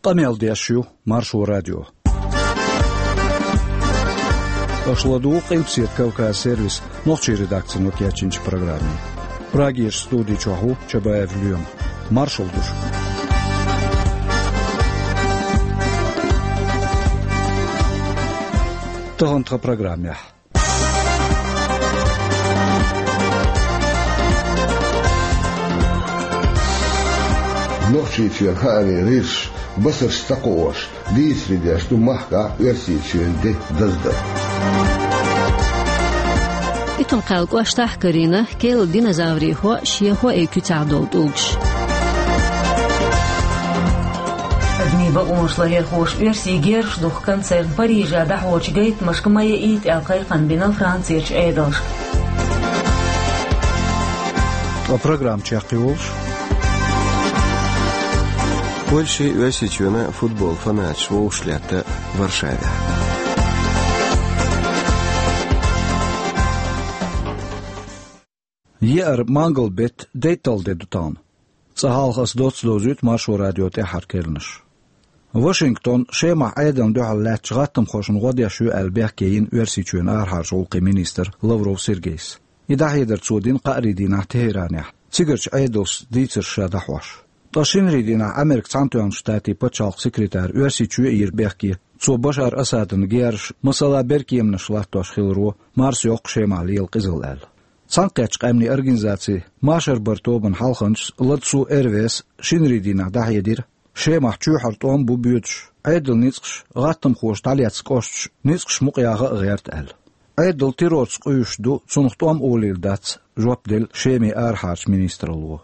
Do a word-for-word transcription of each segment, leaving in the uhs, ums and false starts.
Къамел деш ю Маршо радио. Аша ладугӀу Къилбаседа Кавказ сервисан нохчийн редакцино кечйинчу программе. Прагерчу студи чохь ву Чабаев Лоьма. Маршалла ду шуьга. Тахана тхан программехь. Нохчийчоьнан хаамийн гӀирсаша басарш ца кхоош, дийцаре деш ду махкахь Оьрсийчоьнан де даздар. Итум-Кхаьллан кӀоштахь карийна кӀелан динозаврийн хьо а, шен хьоийн куьцехь долу тӀулгаш. Адамийн бакъонаш ларъярхоша оьрсийн герзаш духку концерн Парижехь дӀахьочу гайтамашка ма яийта аьлла кхайкхам бина Францерчу Ӏедалшка. Ткъа программа чекхйолуш: Польшин, Оьрсийчоьнан футбол фанаташ вовшах летта Варшавехь. Еара мангал-беттан дейтталгӀа де ду тахана. Цкъа хьалха аса доцца довзуьйту Маршо радион тӀаьххьара керланаш. Вашингтон Шемахь Ӏедална дуьхьал лаьттачу гӀаттамхошна гӀо деш ю аьлла бехке йина Оьрсийчоьнан арахьарчу гӀуллакхийн министра Лавров Сергейс. И дӀахьедар цо дина кхаарин дийнахь Тегьеранехь, цигарчу Ӏедалшца дийцарш ша дӀахьош. Ткъа шинарин дийнахь Америкин Цхьаьнатоьхначу Штатийн пачхьалкхан секретарь Оьрсийчоь а йира бехке, цо Башар Асадна герзаш, масала, беркеманаш латтош хиларо марсайоккху Шемахь лела къизалла аьлла. Цхьаьнакхеттачу Къаьмнийн Организацин машар баран тобанан хьалханчас Ладсу Эрвес шинарин дийнахь дӀахьедира, Шемахь чоьхьара тӀом бу боьдуш, Ӏедалан ницкъаш, гӀаттамхоша дӀалецна кӀошташ ницкъаш мукъаяха а гӀерта аьлла. Ӏедал террорца къуьйсуш ду, цунах тӀом олийла дац, жоп делла Шеман арахьарчу министралло.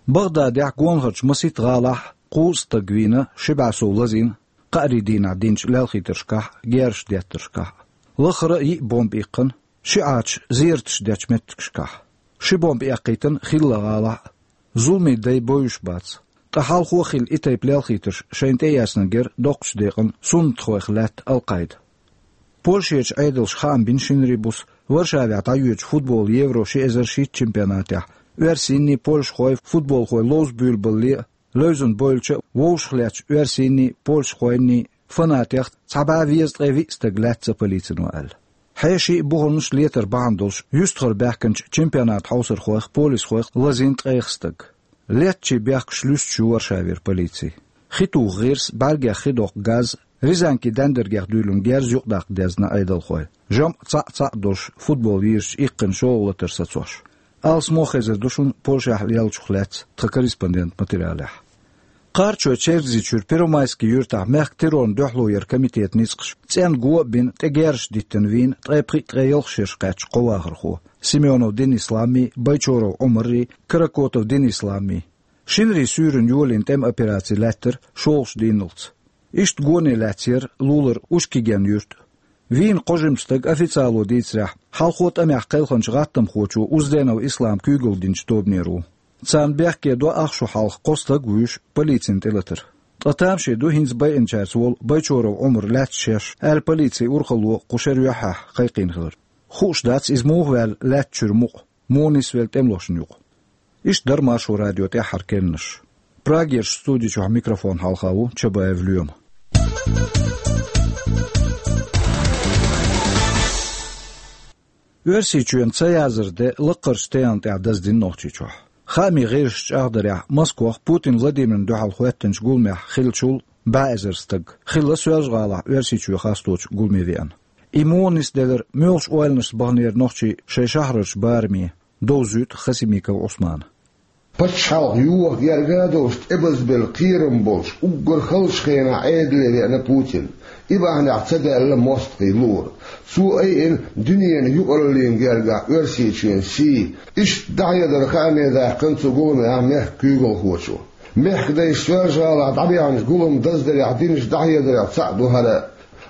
БагӀдадехь, гонахарчу масийтта гӀалахь кхузткъа стаг вийна, ши бӀе сов лазийна кхаарин дийнахь динчу лелхийтаршкахь а, герзаш деттаршкахь а. Лахара йиъ бомба иккхина ши Ӏача зераташ дечу меттигашкахь. Ши бомба эккхийтина хилла гӀалахь а. Зуламийн дай бовзуш бац. Ткъа хьалхо а хилла и тайпа лелхийтарш шайна тӀеэцнарг яра доккхачу декъана суннатхойх лаьтта Ал-Къаида. Польшерчу Ӏедалша хаам бина шинарин буса Варшавехь дӀайоьдучу футболан Евро ши эзар шийтта чемпионатехь оьрсийнний, польшахой, футболхой ловза буьйлабалале а, левзина бевлча а вовшах леттачу оьрсийнний, польшахойнний фанатех цхьа бӀе везткъе виъ стаг лаьцна полицино аьлла. Хьеший а, бухарнаш а летар бахьана долуш, юьстахара баьхкинчу чемпионатан хьовсархойх, полисхойх лазийна ткъех стаг. Леттачийн бехкаш луьстуш ю Варшавера полици. Хи туха гӀирс, бӀаьргех хи доккху газ, Рязанкин дендаргех дуьйлина герз юкъадаккха дезна Ӏедалхойн, жамӀ цхьаъ-цхьаъ долуш футбол йийрачу иккхина шолгӀа латар сацош. Алсамо хезар ду шуна Польшехь леллачух лаьцна тхан корреспондентан материалехь. Кхарачой-Чергазийчуьра Первомайский юьртахь мехкан террорна дуьхьало яран комитетан ницкъаша цӀенна го а бина, тӀе герзаш диттина вийна ткъе пхиъ-ткъе ялх шераш кхаьчна кхо вахархо: Семёнов Денис лааммий, Байчоров Ӏумаррий, Каракотов Денис лааммий. Шинарин суьйранна йолийна тӀеман операци лаьттара шолгӀачу дийнналц. Иштта гоне лаьцна яра лулара Ушкиген юрт. Вийна кхо жима стаг, официало дийцарехь, хьалхо тӀамехь кхелхинчу гӀаттамхочо Узденов Ислама куьйгалла динчу тобанера ву. Царна бехке до ах шо хьалха кхо стаг а вуьйш полицина тӀелатар. Ткъа тамашийна ду хӀинца байинчаьрца волу Байчоров Ӏумар лаьцна шеш аьлла, полицин урхалло кху шеран юьххьехь кхайкхийна хилар. Хууш дац, иза муха ваьлла лаьттачуьра мукъа, муха нисвелла тӀемалошна юкъа. Иштта дара Маршо радион тӀаьххьара керланаш. Прагерчу студи чохь микрофон хьалха ву Чабаев Лоьма. Оьрсийчоьнан цаяздаран де лаккхарчу тайпана тӀехь даздина Нохчийчохь. Хаамийн гӀирсаша чӀагӀдарехь, Москох Путин Владимирна дуьхьал хӀоьттинчу гуламехь хиллачул бӀе эзар стаг хилла Соьлжа-ГӀалахь Оьрсийчоь хасточу гуламе веана. И муха нисделира, муьлхачу ойланашца баханера нохчий шайн шахьарарчу бараме, довзуьйту Хасимиков Ӏусмана. Пачхьалкх йоха герга а долуш, тӀебазбелла кхерам болуш, уггар халчу хенахь Ӏедале веана Путин. И бахьанехь ца даьлла мостагӀийн луъург. Цо айина дуьненан юкъараллина гергахь Оьрсийчоьнан сий. Иштта дӀахьедар хааме даьккхина цу гуламехь мехкан куьйгалхочо. Мехкан дайша Соьлжа-ГӀалахь дӀабаьхьначу гулам даздарехь динчу дӀахьедарех цхьаъ ду хӀара.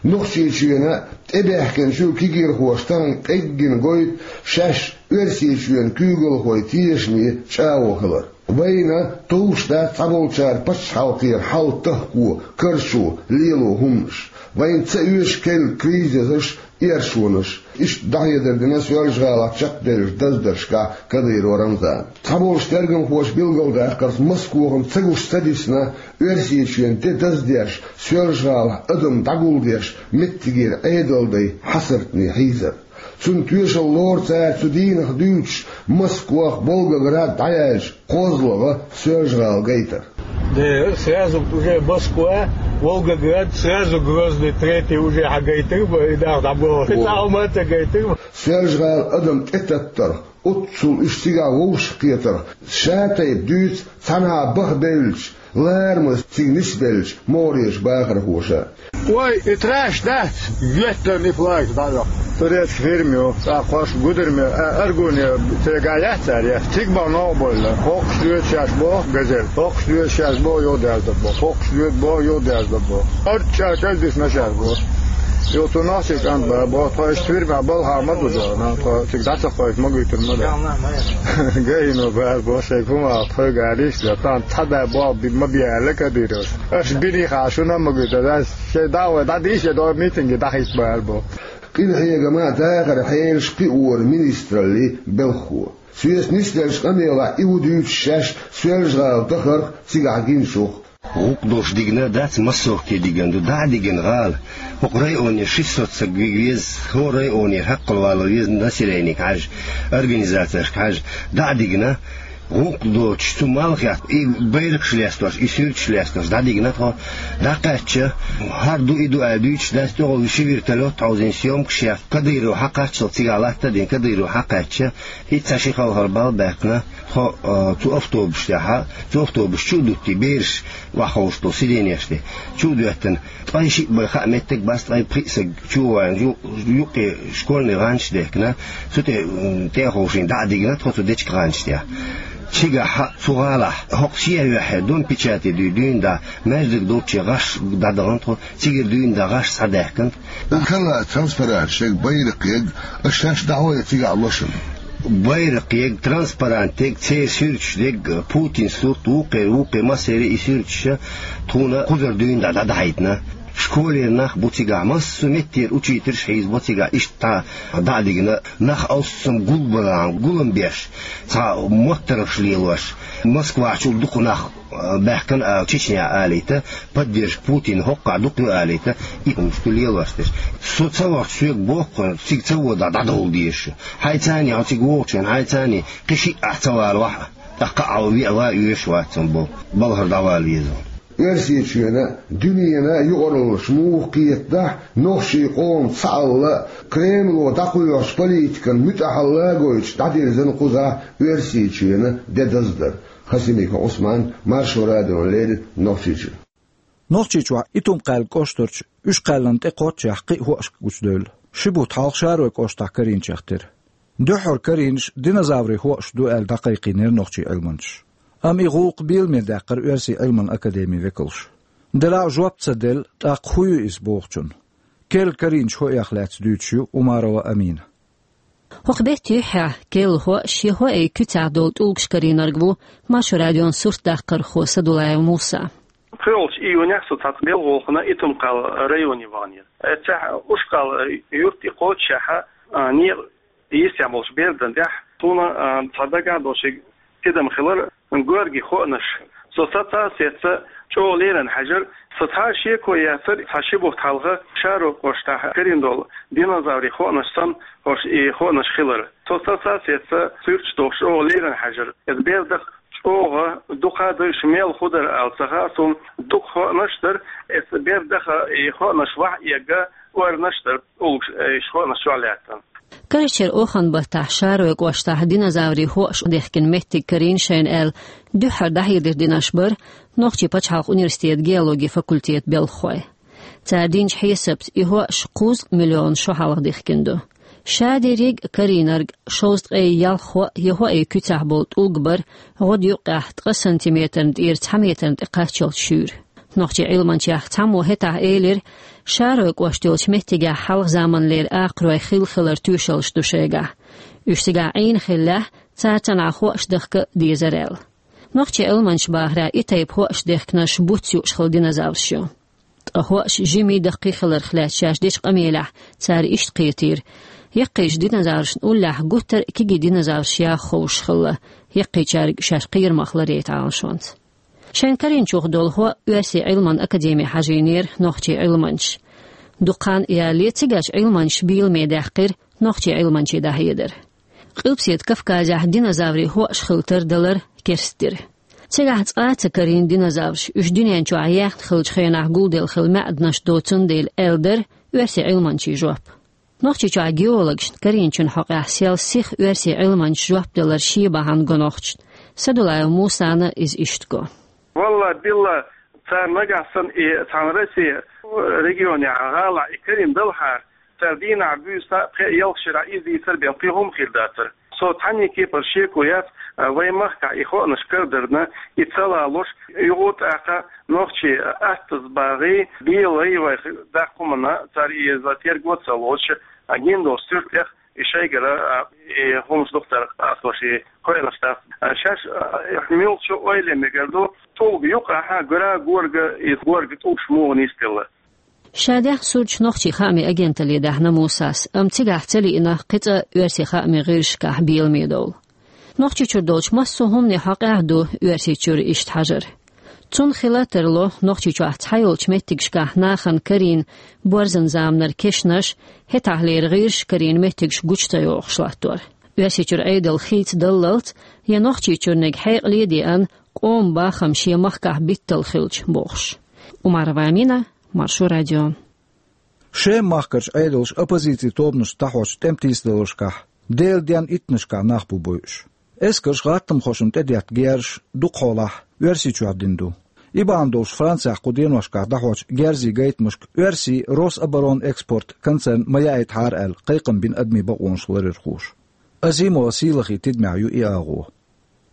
Нохчийчоьнан тӀебаьхкинчу кегийрхоша тахана къеггина гойту шаьш Оьрсийчоьнан куьйгалхойн тешаме чӀагӀо хилар. Вайна товш дац цхьаболчара пачхьалкхера хьал тахко, карчо, лело хӀуманаш. Вайна ца оьшу керла кризисаш, эршонаш. Иштта дӀахьедар дина Соьлжа-ГӀалахь чекхделлачу даздаршкахь Кадыров Рамзана. Цхьаболчу тергамхоша билгалдаккхарца, Москвахана ца гуш ца дисна Оьрсийчоьнан де даздеш, Соьлжа-ГӀалахь адам дӀагулдеш, меттигера Ӏедалдайн хьасартне хьийзар. Цунна тоьшалла лору цара цу дийнах дуьйцуш Москвах, Волгоград дӀаяьлча, кхозлагӀа Соьлжа-ГӀала гайтар. Да, сразу уже Москва, Волгоград, сразу Грозный третий уже хьагайтар бу, и нах дӀабоху. О. Цхьа Алмата гайтар бу. Соьлжа-ГӀала адам тӀетаттарх, оццул уьш цигахь вовшахкхетарх, ша тайпа дуьйцу, цхьанхьа баха бевлча, ларамаза цига нисбеллачу могӀарерчу бахархоша. Ой, и траш дац, геттан и флаг дӀайоккху. Турецкий фирма ю, цӀа кхош гударме, а, Аргуне, цигахь яц цара яц. Цига бан новкъа бевлла. ХӀокхуш доьду шаьш боху газель, хӀокхуш доьду шаьш боху юхадаьржа боху, хӀокхуш доьду боху юхадаьржа боху. Арча чӀагӀдисна шаьш боху. Юха цу нохчийн кӀант боху, тхо иштта фирма балхахь ма ду дела, тхо цига дӀа ца кхойкху, ма гуьйтур ма ду. Гайно бара боху, шайга хӀума тхоьга алийша, тхан цхьа да боху, би-, ма биаьлла Кадыровс. Аша бинехь шуна а ма гуьйту, ас шайн дӀа а вай, дӀадийша, я догӀу митинге дӀахӀитта бара боху. Къинхьегаман а, дахаран хьелаш а кхиоран министраллин белхахо. Соьца нисделлачу къамелехь и ву дуьйцуш шаьш Соьлжа-ГӀала дахарх, цигахь гинчух. ГӀуллакх долуш дигна дац, массовке дигна ду, дӀа а дигна гӀала. ХӀокху районе шестьсот стаг вига веза, хӀора районера хьакхалвала веза, населенега хьаьжа, организацешка хьаьжа, дӀа а дигна, гӀуллакх доцуш, цу малхех и байракхаш лестош, и суьрташ лестош, дӀадигна тхо, дӀакхаьчча, хӀара ду, и ду аьлла дуьйцуш дац, тӀехула ши вертолёт хьовзийна, съёмкаш еш, Кадыров хьакхаччалц цигахь латта а дина, Кадыров хьакхаьчча, и цхьа ши хьалхара балла баьккхина, тхо, а, цу автобус тӀехь, цу автобус чу а дуттий, бераш охьаховшуш долу сиденеш тӀе, чу а доьттина, ткъе шиъ бен хаа меттиг бац, ткъе пхиъ стаг чу а вайна, ю-, юккъе школьный гӀанташ а дехкина, цу тӀе, м, тӀе а ховшийна дӀа а дигна тхо цу дечка гӀанташ тӀехь. Цигахь цу гӀалахь, хӀокху шен а юьххье, Дом печати дуй, дуьйна дӀа, маьждиг долчче гӀаш дӀадахана тхо, цигара дуьйна дӀа гӀаш схьадаьхкина. Укала транспарант шега байракх ег, аш шаьш дӀахьо я цигахь лошана. Байракх ег, транспарант ег, церан суьрташ дег, Путин сурт, вукхеран, вукхеран массеран и суьрташ, тхуна кхузара дуьйна дӀа дӀадахьийтина. Школера нах бу цигахь, массо а меттера учительш хьийзабо цигахь, иштта дӀа а дигна, нах алссам гулбалан, гулам беш, цхьа моттаргӀаш лелош, Москвахьчул дукха нах баьхкина а, Чечня алийта, поддержка Путина хӀоккхахь дукха ю алийта, и хӀумаш ду лелош дерш. Со ца вахча соьга боху хьуна, цига ца вода дӀадовла дезаш. Хьайца а хьо цига вогӀучу хенахь, хьайца а кхин шиъ ахь ца валавахь а, тӀаккха а веа ван оьшуш вац цунна боху, балхара дӀавала веза. Оьрсийчоьнан, дуьненан юкъараллаш муха кхетадахь, нохчийн къоман цхьаалла Кремло дӀакхоьхьучу политикан муьтӀахьалла гойтуш дӀадирзина кхузахь Оьрсийчоьнан де даздар. Хасимиков Ӏусман, Маршо радиона леррина Нохчийчуьра. Нохчийчохь Итум-Кхаьлла кӀоштарчу Уьш-Кхаьллана тӀе кхоччехь кхин а хӀоашка гучудевлла. Ши бутт хьалха Шароя кӀоштахь карийначех тера. Дуьххьара карийнаш динозаврийн хӀоаш ду аьлла дӀакхайкхийнера нохчийн Ӏилманчаша. Амма и гӀуллакх беламе даьккхира Оьрсийн Ӏилманан академин векалша. Делахь а жоп ца делла, тӀаккха хӀун ю иза бохучун? Керла карийначу хӀоех лаьцна дуьйцуш ю Умарова Амина. ХӀокху беттан юьххьехь керла хӀоаш я хӀоийн куьцехь долу тӀулгаш карийнарг ву Маршо радион суртдаккхархо Садулаев Муса. КхоалгӀачу июнехь со цхьацца белхахана Итум-Кхаьлла районе ваханера. Эццехь Уьш-Кхаьлла юрт и кхочушшехь, а, некъа йистехь болуш бердан тӀехь, суна, а, цхьа дагахь долуш тидам хилар, гоьргийн хоанаш. Со саца а сецца чӀогӀа леррина хьаьжира. Со цхьа а шеко яцара, цхьа ши бутт хьалха Шароя кӀоштахь карийна долу динозаврийн хоанаш санна, хӀорш и хоанаш хилар. Со саца а сецца суьрташ долуш чӀогӀа леррина хьаьжира. Иза бердах чӀогӀа дукха а дойуш мел хӀун дара ала ца хаьа суна, дукха хоанаш дара, иза бердаха и хоанаш вахь а эгга, орнаш дара, уллуш, э, иш хоанаш чохь лаьттан. Карарчеран охан баттахь Шароя кӀоштахь динозаврийн хӀоаш дехкина меттиг карийна шайна аьлла, дуьххьара дӀахьедар динарш бара Нохчийн пачхьалкхан университетан геологин факультетан белхахой. Цара динчу хьесапца, и хӀоаш кхузткъа миллион шо хьалха дихкина ду. Ша дерриг а карийнарг шовзткъе ялх хӀоа я хӀоийн куьцехь болу тӀулг бара, гӀодаюккъехь ткъа сантиметрна тӀера цхьа метрна тӀе кхаччалц шуьйра. Нохчийн Ӏилманчех цхьаммо хӀетахь элира, Шароя кӀошт йолчу меттигехь хьалха заманлера акхарой хилла хиларан тоьшаллаш ду шайгахь. Уьш цигахь Ӏийна хиллехь, цара цхьанхьа хӀоаш дахка а дезара аьлла. Нохчийн Ӏилманчаша бахарехь, и тайпа хӀоаш дехкинарш буц юуш хилла динозавраш ю. Ткъа хӀоаш жимий даккхий хиларх лаьцна шаьш дечу къамелехь цара иштта кхетийра: яккхийчу динозаврашна уллехь гуттар а кегий динозавраш яха ховшуш хилла, яккхийчаьрга шаьш кхерамах ларъяйта Ӏалашонца. Шайн карийначух долу хӀоъ Оьрсийн Ӏилманан академехь хьажийнера нохчийн Ӏилманчаша. Дукха хан ялале цигачу Ӏилманчаша беламе даьккхира нохчийн Ӏилманчийн дӀахьедар. Къилбаседа Кавказехь динозаврийн хӀоаш хила тардалар керстдира. Цигахь цкъа а ца карийна динозавраш, уьш дуьнен чохь яьхна хиллачу хенахь гулделла хилла маьӀданаш доцун дела, аьлла дара оьрсийн Ӏилманчийн жоп. Нохчийчохь геологашна карийначун хьокъехь сел сиха оьрсийн Ӏилманчаша жоп далар шен бахьана го нохчашна. Садулаев Мусана иза иштта го. Валла, билла, цара нагахь санна и цхьана Россин регионехь, гӀалахь и карийна далахьара, цара дийнахь, буьйса, пхеа, ялх шарахь иза дийцар бен кхин хӀума хир дацара. Со цхьанне кепара шеко яц, а, вайн махкахь и хоанаш карадарна, и ца лалуш, юха тӀаккха нохчий аттаза багӀий, белий вайх даккха хӀуманна, цара иза терго а ца лоцуш, а, гина долчу суьртех и шайгара, а, и хӀумаш духтар къасталаш и кхоьлуш дац. А, шаьш, а, муьлххачу ойла мегар ду, тӀулга юкъахь гура горга, и горга тӀулгаш муха нисделла. Ша даьхна сурташ нохчийн хаамийн агенталле даьхьна Мусас, амма цигахь ца лиъна кхин цкъа оьрсийн хаамийн гӀирсашкахь беламе довла. Нохчийчуьра долчу массо а хӀуманийн хьокъехь ду Оьрсийчуьра иштта хьажар. Цунна хила а тарло, Нохчийчохь цхьайолчу меттигашкахь нахана карийна борзан заманара кешнаш, хӀетахьлера гӀирсаша карийна меттигаш гучу ца йохуш латтор. Оьрсийчуьра Ӏедал хийцадаллалц я Нохчийчуьрниг хьекъале а деана, къоман бахам шен махкахь биттал хилча бохуш. Умарова Амина, Маршо радио. Шеман махкарчу Ӏедалша оппозицин тобанашна дӀахьочу тӀеман тийсадаларшкахь Делан денна иттаннашкахь нах бу бойуш. Эскарша гӀаттамхошна тӀедетта герзаш дукха хьолахь Оьрсийчохь дина ду. И бахьана долуш Францехь кху деношкахь дӀахьочу герзийн гайтамашка оьрсийн Рособоронэкспорт концерн ма яийтахьара аьлла, кхайкхам бина адамийн бакъонаш ларъярхоша. Азимова Сийлахин тидамехь ю и агӀо.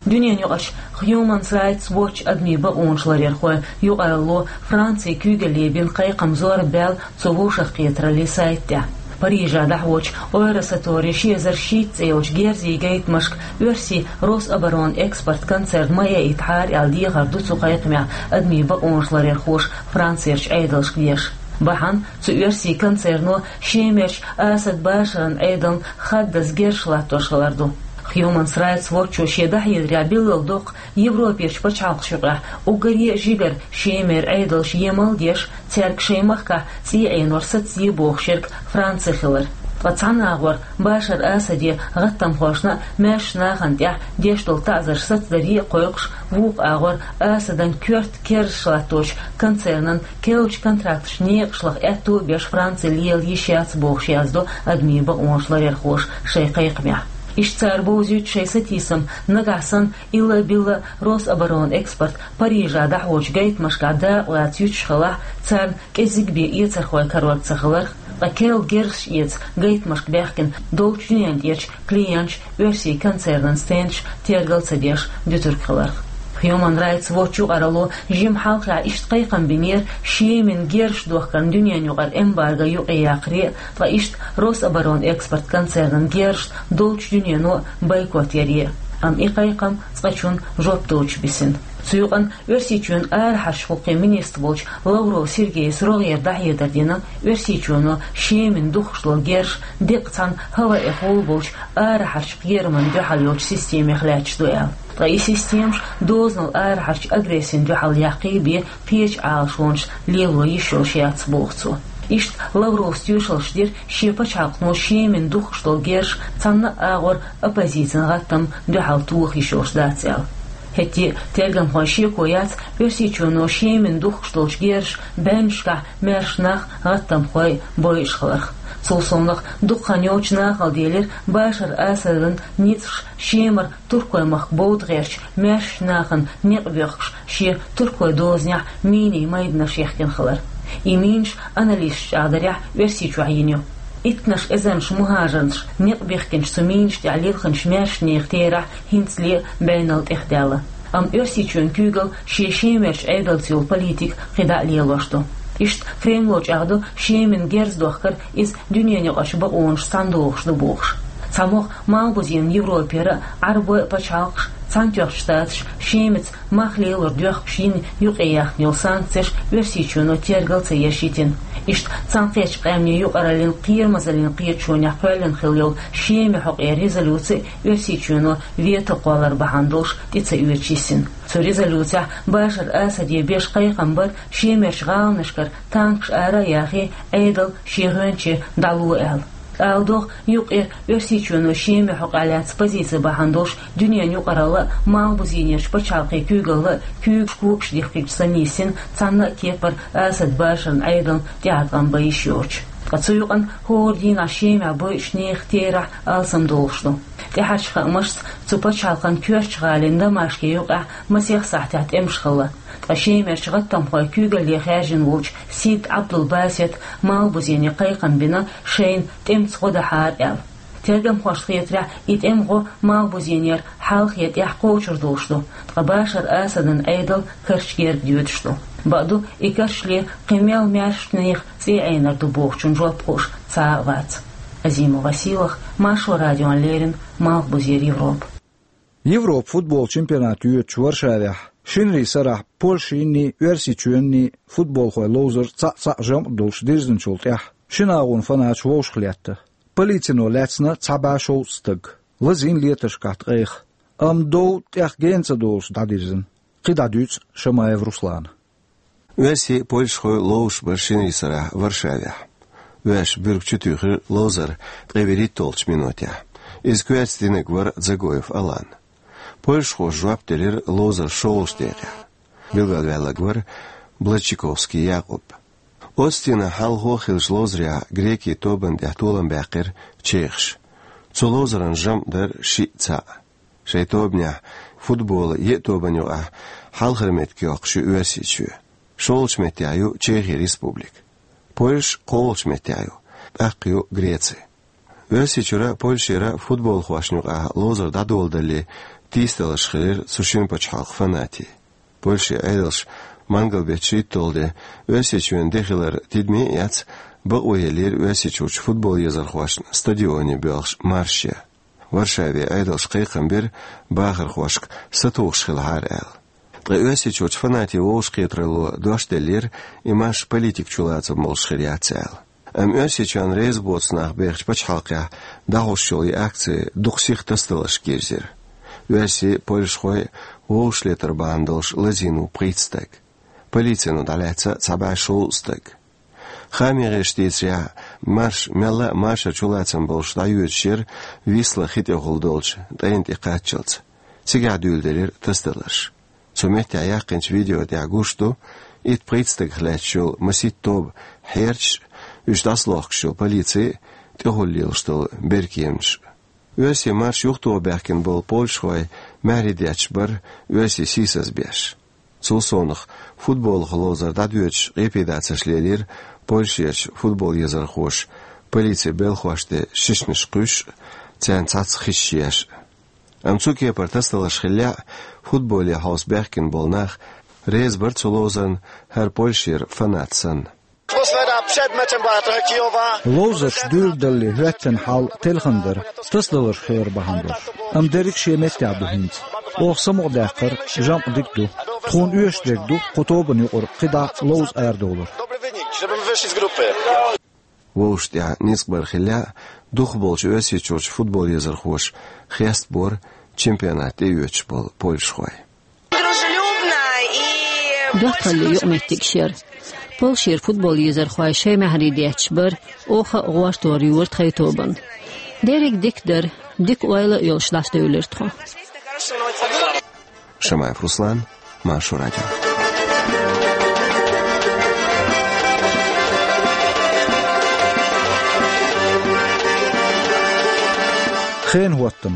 Дуьненан юкъарчу Human Rights Watch адамийн бакъонаш ларъярхойн юкъаралло Францин куьйгалле бина кхайкхам зорбаьлла цу вовшахкхетараллин сайта тӀехь. Парижехь дӀахьочу Ойра сатори ши эзар шийтта цӀе йолчу герзийн гайтамашка оьрсийн Рособоронэкспорт концерн ма яийтахьара аьлла дехар ду цу кхайкхамехь адамийн бакъонаш ларъярхоша Францерчу Ӏедалшка деш. Бахьана цу оьрсийн концерно Шемерчу Асад Башаран Ӏедална хаддаза герзаш латтош хилар ду. Human Rights Watch-о шен дӀахьедарехь билггал доккху Европерчу пачхьалкхашна юкъахь уггаре а жигара Шемера Ӏедалша емал а деш, цаьрга шайн махкахь цӀий Ӏенор сацаде бохуш ерг Франци хилар. Ткъа цхьана агӀор Башар Асаде гӀаттамхошна а, маьршачу нахана тӀехь деш долу таӀзарш сацадаре а кхойкхуш, вукху агӀор Асадан коьрта керзаш латточу концернан керлачу контракташна некъаш лаха аьтто а беш Франци лела йиш яц бохуш яздо адамийн бакъонаш ларъярхоша шайн кхайкхамехь. Иштта цара бовзуьйту шайн сатийсам нагахь санна илла-билла Рособоронэкспорт Парижехь дӀахьочу гайтамашкахь дакъа лаца юьтуш хилахь, царна кӀезиг бен эцархой карор ца хиларх, ткъа керла герзаш эца гайтамашка баьхкина долчу дуьнен тӀерачу клиенташ оьрсийн концернан стендаш тергал ца деш дуьтург хиларх. Human Rights Watch юкъаралло жимма хьалхехь иштта кхайкхам бинера Шемина герзаш дохкарна дуьненан юкъара эмбарго юкъаяккхаре а, ткъа иштта Рособоронэкспорт концернан герзашна долчу дуьнено а бойкот яре а. Амма и кхайкхам цкъачунна жоп доцуш бисина. Цу юкъана Оьрсийчоьнан арахьарчу гӀуллакхийн министр волчу Лавров Сергейс рогӀера дӀахьедар дина Оьрсийчоьно Шемина духкуш долу герзаш деккъа цхьана хӀаваэхула болчу арахьарчу кхерамна дуьхьал йолчу системех лаьтташ ду аьлла. Ткъа и системаш дозанал арахьарчу агрессина дуьхьал яккхий бен кхечу Ӏалашонаш лело йиш йолуш яц боху цо. Иштта Лавровс тоьшаллаш дира шен пачхьалкхано Шемина духкуш долу герзаш цхьанна а агӀор оппозицин гӀаттамна дуьхьал тоха йиш йолуш дац аьлла. ХӀетте а тергамхойн шеко яц Оьрсийчоьно Шемина духкуш долчу герзаша бӀеннашкахь маьрша нах, гӀаттамхой бойуш хиларх. Цул совнаха дукха хан йоццуш нахала делира Башар Асадан ницкъаша Шемара туркойн махка бовда гӀертачу маьршачу нахана некъ боьхкуш шен туркойн дозанехь минийн майданаш яхкина хилар. И минаш аналисташа чӀагӀдарехь Оьрсийчохь йина ю. Иттаннаш эзарнаш мухӀажарнаша некъ бихкинчу цу минаш тӀехь лилхинчу маьршачу нехан терахь хӀинцале а бӀенал тӀехдаьлла. Амма Оьрсийчоьнан куьйгалла шен Шемерчу Ӏедалца йолу политика кхидӀа а лелош ду. Иштта Кремло чӀагӀдо Шемина герз дохкар иза дуьненан юкъарчу бакъонашца цхьаьна догӀуш ду бохуш. ЦхьамогӀа Малхбузенан Европера а, Ӏарбойн а пачхьалкхаш Цхьаьнатоьхначу Штаташа Шемаца мах лелор доьхкаш йина юкъе яьхна йолу санкцеш Оьрсийчоьно тергал ца еш йитина. Иштта Цхьаьнакхеттачу Къаьмнийн юкъараллин кхерамазаллин кхеташонехь кхоьллина хилла йолу Шеман хьокъехь резолюци Оьрсийчоьно вето кхоллар бахьана долуш тӀе ца оьцуш йисина. Цу резолюцехь Башар Асаде беш кхайкхам бара Шемерчу гӀаланашкара танкаш ара а яхий, Ӏедал шен гӀоьнче дӀало аьлла. Ала догӀу, юкъара Оьрсийчоьно Шеман хьокъехь лаьцна позици бахьана долуш дуьненан юкъаралла а, Малхбузенерчу пачхьалкхийн куьйгалла а куьйгаш когаш дихкича санна йисина цхьана а кепара Асад Башаран Ӏедална тӀеӀаткъам бан йиш йоцуш. Ткъа цу юкъана хӀора дийнахь Шемахь бойучу нехан терахь алсамдолуш ду. ТӀаьхьарчу хаамашца, цу пачхьалкхан коьртачу гӀалин Дамашке юкъахь масех сахьтехь тӀемаш хилла. Ткъа Шемерчу гӀаттамхойн куьйгалле хаьржина волчу Сид Ӏабдул-Басета Малхбузене кхайкхам бина, шайна тӀемца гӀо дахьара аьлла. Тергамхошна хетарехь, и тӀеман гӀо Малхбузенера хьалхе тӀехь кхочур долуш ду, ткъа Башар Асадан Ӏедал карча герга доьдуш ду. Бакъду, и карчле кхин мел маьршачу нехан цӀий Ӏенар ду бохучун жоп хууш цхьа а вац. Азима Василах, Маршо радиона леррина, Малхбузера Европа. Европа футбол чемпионат йоьдучу Варшавехь шинарин сарахь Польшинний, Оьрсийчоьнний футболхойн ловзар цхьаъ-цхьаъ жамӀ долуш дирзинчул тӀаьхьа шина агӀонан фанач вовшахлетта. Полицано лаьцна цхьа бӀе шовзткъа стаг. Лазийна летаршкахь ткъех. Амма дов тӀех гена ца долуш дӀадирзина. КхидӀа дуьйцу Шамаев Руслана. Оьрсий, польшахой ловзуш бара шинарин сарахь Варшавехь. Оьрсаша буьрг чу туьйхира ловзар ткъе вуьрхӀитталгӀачу минотехь. Иза коьрта динарг вара Дзагоев Алан. Польшахоша жоп делира ловзаран шолгӀачу декъехь. Билгалваьлларг вара Блачковский Якъуб. Оццу дийнахь хьалхо хиллачу ловзарехь грекийн тобанна тӀехь толам баьккхира чехаша. Цу ловзаран жамӀ дара шиъ цхьаъ. Шайн тобанехь футболан еа тобанна юкъахь хьалхара меттиг йоккхуш ю Оьрсийчоь. ШолгӀачу меттехь ю Чехин Республика. Польша кхоалгӀачу меттехь ю, тӀаккха ю Греци. Оьрсийчуьра а, Польшера а футболхошна юкъахь ловзар дӀадоладалале тийсадаларш хилира цу шина пачхьалкхан фанатийн. Польшин Ӏедалша мангал беттан шийтталгӀа де Оьрсийчоьнан де хилар тидаме а эцна, бакъо еллера Оьрсийчуьрчу футбол езархошна стадионе боьлхуш марш ян. Варшавин Ӏедалша кхайкхам бира бахархошка сатухуш хилахьара аьлла. Ткъа Оьрсийчуьрчу фанатийн вовшахкхетаралло дош деллера, и марш политикан чулацам болуш хир яц аьлла. Амма Оьрсийчоьнна реза боцу нах бехачу пачхьалкхехь дӀахьош йолу и акци дукха сиха тасадаларшка йирзира. Оьрсий, польшахой вовшахлетар бахьана долуш лазийна ву пхийтта стаг. Полицино дӀалаьцна цхьа бӀе шовзткъа стаг. Хааман гӀирсаша дийцарехь, марш мелла а машаран чулацам болуш дӀайоьдуш яра Висла хи тӀехула долчу тӀайна тӀе кхаччалц. Цигахь дуьйладелира тасадаларш. Цу меттехь яьккхинчу видео тӀехь гуш ду итт-пхийтта стагах лаьтташ йолу масийтта тоба хьерчаш а, уьш дӀасалохкуш йолу полици а, тӀехула лелаш долу беркеманаш а. Оьрсийн марш юхатоха баьхкина болу польшахой маьхьарий детташ бара Оьрсий сийсаз беш. Цул совнаха, футболах ловзар дӀадоьдуш къепедацарш лелийра Польшерчу футбол езархоша, полицин белхош тӀе шишнаш кхуьйсуш а, царна цхьацца хиш еш а. Амма цу кепара тасадаларш хиллехь а, футболе хьовса баьхкина болу нах реза бара цу ловзарна, хӀара Польшера фанат санна. Атмосфера перед матчем была трагикова. Ловзарш дуьйладалале хӀоьттина хьал телхина дара, тасадаларш хилар бахьана долуш. Амма дерриг шен меттехь ду хӀинца. Оха самукъадаьккхира, жамӀ дика ду. Тхуна оьшуш дерг ду кху тобанна юкъара кхидӀа ловза арадовлар. Добрый выник, чтобы мы вышли из группы. Вовшашна тӀехь ницкъ бар хиллехь а, дукхахболчу Оьрсийчуьрчу футбол езархоша хестабора чемпионат тӀеоьцуш болу польшахой. Дружелюбно и... ДоттагӀаллин юкъаметтигаш яра. Польшера футбол езархой шайн маьхьарий детташ бара, оха а гӀортор йора тхайн тобанна. Дерриг дика дара, дика ойла а йолуш дӀасадевлира тхо. Шамаев Руслан, Маршо радио. Хенан хӀоттам.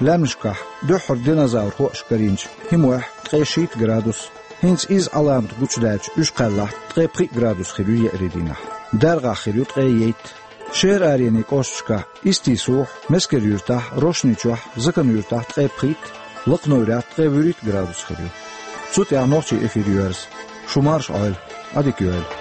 Лаьмнашкахь дуьххьара динозавр хоуш карийначу хӀимохь ткъе шийтта градус. ХӀинца изза Ӏаламат гучудаьлча, уьш кхаьллахь, ткъе пхиъ градус хир ю еарин дийнахь. ДаргӀахь хир ю ткъе ейтта. Шера аренийн кӀошташкахь Истисухь, Мескер-Юьртахь, Рошни-Чохь, Закан-Юьртахь ткъе пхийтта, Лакхно-Юьртахь ткъе вуьрхӀитта градус хир ю. Цу тӀехь нохчийн эфир йоьрзу. Шу марша Ӏойла. Ӏадика йойла.